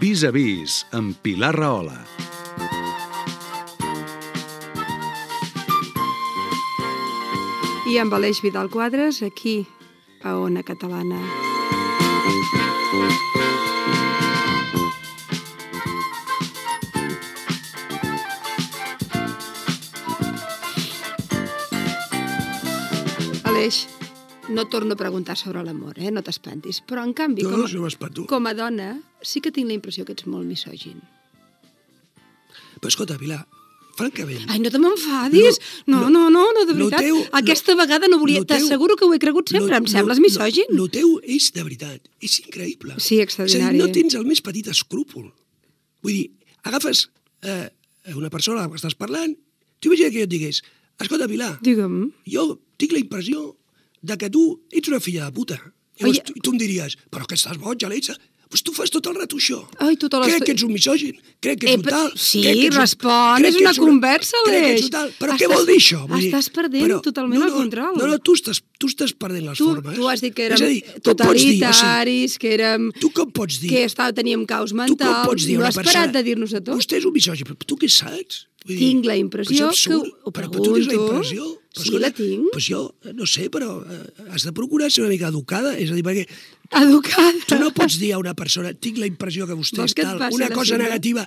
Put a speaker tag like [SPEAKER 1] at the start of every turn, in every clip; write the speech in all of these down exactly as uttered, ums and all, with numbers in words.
[SPEAKER 1] Vis a vis, amb Pilar Rahola.
[SPEAKER 2] I amb Aleix Vidal Quadres, aquí, a Ona Catalana. Aleix, no torno a preguntar sobre l'amor, eh? No t'espantis. Però, en canvi,
[SPEAKER 3] No,
[SPEAKER 2] com,
[SPEAKER 3] no se m'espanto.
[SPEAKER 2] com a dona, sí que tinc la impressió que ets molt misògin.
[SPEAKER 3] Però escolta, Pilar, francament...
[SPEAKER 2] Ai, no te m'enfadis! No, no, no, no, de
[SPEAKER 3] lo
[SPEAKER 2] veritat.
[SPEAKER 3] teu-
[SPEAKER 2] Aquesta vegada no volia...
[SPEAKER 3] lo teu-
[SPEAKER 2] T'asseguro que ho he cregut sempre. Em sembles misògin.
[SPEAKER 3] Lo teu és, de veritat, és increïble.
[SPEAKER 2] Sí, extraordinari.
[SPEAKER 3] És a dir, no tens el més petit escrúpol. Vull dir, agafes eh, una persona amb la que estàs parlant, tu imagina que jo et digués, escolta, Pilar,
[SPEAKER 2] Digue'm.
[SPEAKER 3] jo tinc la impressió de que tu ets una filla de puta. Llavors,
[SPEAKER 2] Oi.
[SPEAKER 3] tu, tu em diries, però que estàs boig, Alexa? Doncs tu fas tot el rato això.
[SPEAKER 2] Ai, tota l'estona-
[SPEAKER 3] Crec que ets un misògin, crec que
[SPEAKER 2] Eh,
[SPEAKER 3] ets un
[SPEAKER 2] però-
[SPEAKER 3] tal...
[SPEAKER 2] sí,
[SPEAKER 3] crec que ets un-
[SPEAKER 2] respon,
[SPEAKER 3] crec
[SPEAKER 2] és
[SPEAKER 3] que
[SPEAKER 2] una
[SPEAKER 3] ets
[SPEAKER 2] conversa,
[SPEAKER 3] crec que ets
[SPEAKER 2] Aleix.
[SPEAKER 3] un tal. Però
[SPEAKER 2] Estàs-
[SPEAKER 3] què vol dir això? Vull dir,
[SPEAKER 2] estàs perdent totalment
[SPEAKER 3] no,
[SPEAKER 2] el
[SPEAKER 3] no,
[SPEAKER 2] control.
[SPEAKER 3] No, no, tu estàs, tu estàs perdent les
[SPEAKER 2] Tu,
[SPEAKER 3] formes.
[SPEAKER 2] tu has dit que érem
[SPEAKER 3] És a dir, com pots dir, o sigui,
[SPEAKER 2] totalitaris, que érem...
[SPEAKER 3] tu com pots dir...
[SPEAKER 2] que estava, teníem caos
[SPEAKER 3] tu com
[SPEAKER 2] mental.
[SPEAKER 3] pots dir a
[SPEAKER 2] No
[SPEAKER 3] una
[SPEAKER 2] has
[SPEAKER 3] persona...
[SPEAKER 2] parat de dir-nos a tot.
[SPEAKER 3] Vostè és un misògin, però tu què saps? Vull dir,
[SPEAKER 2] Tinc la impressió
[SPEAKER 3] però és absurd.
[SPEAKER 2] que ho- ho
[SPEAKER 3] però, però tu tens la
[SPEAKER 2] pregunto.
[SPEAKER 3] impressió. Però,
[SPEAKER 2] Sí,
[SPEAKER 3] escolta,
[SPEAKER 2] la tinc.
[SPEAKER 3] Doncs jo, no sé, però eh, has de procurar ser una mica educada. És a dir, perquè
[SPEAKER 2] Educada.
[SPEAKER 3] tu no pots dir a una persona tinc la impressió que vostè
[SPEAKER 2] Vols
[SPEAKER 3] és
[SPEAKER 2] que et
[SPEAKER 3] tal,
[SPEAKER 2] passi
[SPEAKER 3] una
[SPEAKER 2] la
[SPEAKER 3] cosa
[SPEAKER 2] cinta?
[SPEAKER 3] negativa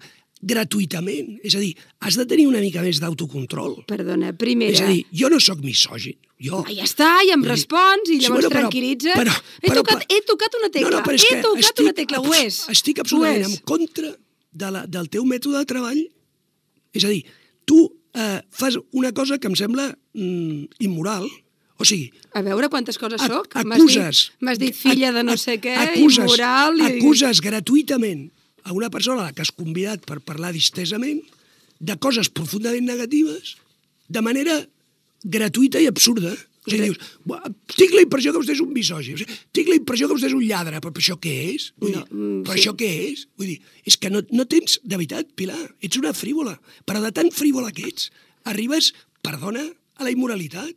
[SPEAKER 3] gratuïtament. És a dir, has de tenir una mica més d'autocontrol.
[SPEAKER 2] Perdona, primera...
[SPEAKER 3] És a dir, jo no sóc misògin. Jo...
[SPEAKER 2] Ah, ja està, i em
[SPEAKER 3] Vull dir,
[SPEAKER 2] respons, i
[SPEAKER 3] sí,
[SPEAKER 2] llavors
[SPEAKER 3] bueno, però-
[SPEAKER 2] tranquil·litza.
[SPEAKER 3] però-
[SPEAKER 2] he,
[SPEAKER 3] però-
[SPEAKER 2] tocat, he tocat una tecla,
[SPEAKER 3] No, no, però és
[SPEAKER 2] he
[SPEAKER 3] que
[SPEAKER 2] tocat
[SPEAKER 3] estic,
[SPEAKER 2] una tecla, ho és.
[SPEAKER 3] Estic
[SPEAKER 2] Ho
[SPEAKER 3] absolutament
[SPEAKER 2] és.
[SPEAKER 3] en contra de la, del teu mètode de treball. És a dir, tu eh, fas una cosa que em sembla mm, immoral. O sigui...
[SPEAKER 2] A veure quantes coses
[SPEAKER 3] ac-
[SPEAKER 2] soc. M'has
[SPEAKER 3] Acuses...
[SPEAKER 2] dit, m'has dit filla de no
[SPEAKER 3] ac-
[SPEAKER 2] sé què,
[SPEAKER 3] acuses,
[SPEAKER 2] immoral... I...
[SPEAKER 3] Acuses gratuïtament a una persona a la que has convidat per parlar distesament de coses profundament negatives de manera gratuïta i absurda. O sigui, dius, "Buah, tinc la impressió que vostè és un misògin, o sigui, tinc la impressió que vostè és un lladre, però, però això què és? Vull
[SPEAKER 2] No,
[SPEAKER 3] dir,
[SPEAKER 2] mm,
[SPEAKER 3] però
[SPEAKER 2] sí.
[SPEAKER 3] això què és? Vull dir, és que no, no tens, de veritat, Pilar, ets una frívola, però de tan frívola que ets, arribes, perdona, a la immoralitat.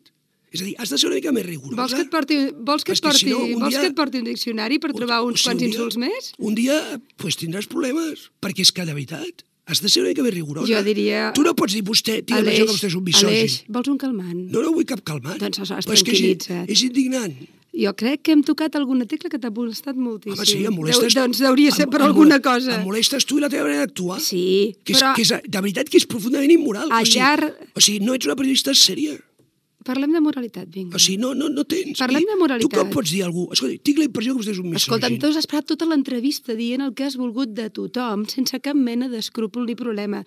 [SPEAKER 3] És a dir, has de ser una mica més rigorosa.
[SPEAKER 2] Vols que et porti, vols que
[SPEAKER 3] És
[SPEAKER 2] et porti,
[SPEAKER 3] si no, un
[SPEAKER 2] vols
[SPEAKER 3] dia-
[SPEAKER 2] que et porti un diccionari per trobar uns
[SPEAKER 3] o sigui,
[SPEAKER 2] quants
[SPEAKER 3] un dia-
[SPEAKER 2] insults més?
[SPEAKER 3] Un dia pues, tindràs problemes, perquè és que, de veritat, has de ser una mica més rigorosa.
[SPEAKER 2] Jo diria...
[SPEAKER 3] Tu no pots dir, vostè, tinc la impressió que vostè és un misògin.
[SPEAKER 2] Aleix, vols un calmant?
[SPEAKER 3] No, no vull cap calmat.
[SPEAKER 2] Doncs aleshores
[SPEAKER 3] Però és que és,
[SPEAKER 2] tranquil·litza't.
[SPEAKER 3] és indignant.
[SPEAKER 2] Jo crec que hem tocat alguna tecla que t'ha molestat moltíssim.
[SPEAKER 3] Home, sí, em molestes...
[SPEAKER 2] Deu, doncs deuria ser
[SPEAKER 3] em-
[SPEAKER 2] per
[SPEAKER 3] em
[SPEAKER 2] alguna
[SPEAKER 3] mole-
[SPEAKER 2] cosa.
[SPEAKER 3] Em molestes tu i la teva manera d'actuar.
[SPEAKER 2] Sí,
[SPEAKER 3] Que és,
[SPEAKER 2] però
[SPEAKER 3] que és, de veritat que és profundament immoral.
[SPEAKER 2] Al
[SPEAKER 3] o, sigui,
[SPEAKER 2] llarg-
[SPEAKER 3] o sigui, no ets una periodista sèria.
[SPEAKER 2] parlem de moralitat, vinga.
[SPEAKER 3] O sigui, no, no, no tens.
[SPEAKER 2] Parlem de moralitat.
[SPEAKER 3] Tu com pots dir a algú? Escolta, tinc la impressió que vostè és un misògin.
[SPEAKER 2] Escolta'm, tu has esperat tota l'entrevista dient el que has volgut de tothom sense cap mena d'escrúpol ni problema.